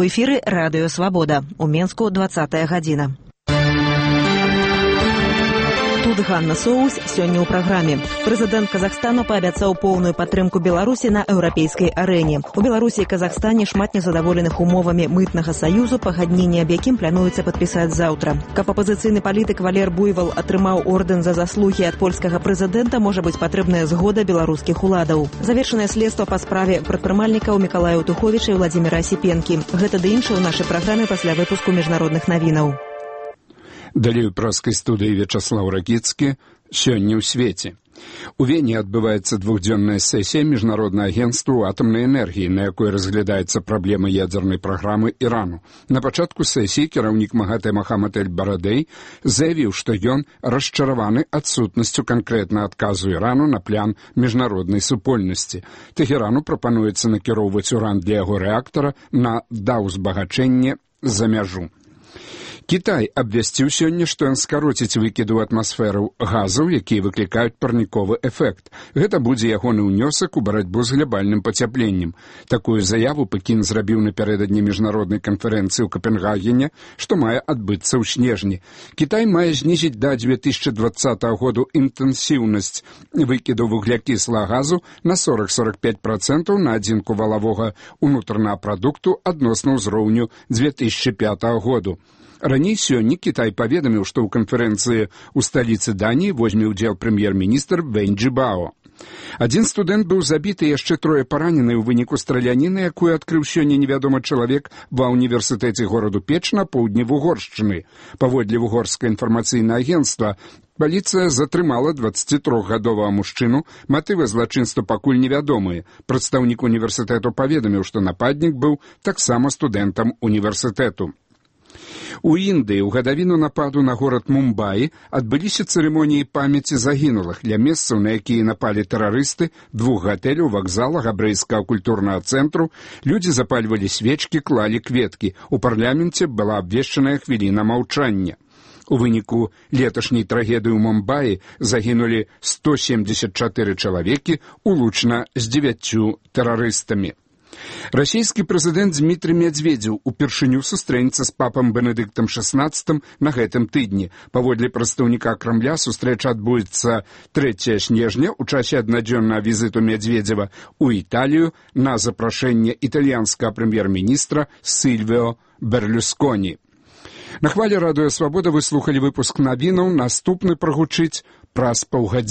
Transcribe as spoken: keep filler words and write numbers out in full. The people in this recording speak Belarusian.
У эфіры радыё «Свабода». У Менску двадцатая гадзіна. Тут Ганна Соус сёння ў праграме. Прэзідэнт Казахстану паабяцаў поўную падтрымку Беларусі на еўрапейскай арэне. У Беларусі і Казахстане шмат незадаволеных умовамі мытнага саюзу, пагадненне аб якім плануецца падпісаць заўтра. Каб апазіцыйны палітык Валер Буйвал атрымаў ордэн за заслугі ад польскага прэзідэнта, можа быць патрэбная згода беларускіх уладаў. Завершанае следства па справе прадпрымальнікаў Мікалая Туховіча і Владзіміра Асіпенкі. Гэта ды іншае ў нашай праграме пасля выпуску міжнародных навінаў. Далей у праскай студыі Вячаслаў Ракіцкі. Сёння ў свеце. У Вене адбываецца двухдзённая сесія Міжнароднага агенцтва атамнай энергіі, на якой разглядаецца праблема ядзернай праграмы Ірану. На пачатку сесіі кіраўнік МАГАТЭ Мохаммад эль-Барадэй заявіў, што ён расчараваны адсутнасцю канкрэтна адказу Ірану на план міжнароднай супольнасці. Тэхерану прапануецца накіроўваць уран для яго рэактара на даўзбагачэнне за мяжу. Кітай абвясціў сёння, што ён скароціць выкіды ў атмасферу газаў, якія выклікаюць парніковы эфект. Гэта будзе ягоны ўнёсак у барацьбу з глобальным пацяпленнем. Такую заяву Пекін зрабіў напярэдадні міжнароднай канферэнцыі ў Капенгагене, што мае адбыцца ў снежні. Кітай мае знізіць да дзве тысячы дваццатага году інтэнсіўнасць выкіду вуглякіслага газу на сорок - сорок пяць працэнтаў на адзінку валавога ўнутранага прадукту адносна ўзроўню дзве тысячы пятага году. Раней сёння Кітай паведаміў, што ў канферэнцыі ў сталіцы Даніі возьме ўдзел прэм'ер-міністр Вэнь Чжібао. Адзін студэнт быў забіты, яшчэ трое паранены ў выніку страляніны, якую адкрыў сёння невядомы чалавек ва ўніверсітэце гораду Печ на поўдні Вугоршчыны. Паводле вугорскае інфармацыйнае агенцтва, паліцыя затрымала дваццацітрохгадовага мужчыну, матывы злачынства пакуль невядомыя. Прадстаўнік універсітэту паведаміў, што нападнік быў таксама студэнтам універсітэту. У Індыі ў гадавіну нападу на горад Мумбаі адбыліся цырымоніі памяці загінулых. Для месцаў, на якія напалі тэрарысты, двух гатэляў, вакзала, габрэйскага культурнага цэнтру, людзі запальвалі свечкі, клалі кветкі. У парламенце была абвешчаная хвіліна маўчання. У выніку леташняй трагедыі ў Мумбаі загінулі сто семьдесят чатыры чалавекі, улучна з дзевяццю тэрарыстамі. Расійскі прэзідэнт Дмітрый Медведзеў упершыню сустрэнецца з папам Бенедыктам шаснаццатым на гэтым тыдні. Паводле прадстаўніка Крамля сустрэча адбудзецца трэцяга снежня ў часе аднадзённага візіту Медведзева ў Італію на запрашэнне італьянскага прэм'ер-міністра Сільвіо Берлюсконі. На хвалі радыё «Свабода» вы слухалі выпуск навінаў. Наступны прагучыць праз паўгадзіны.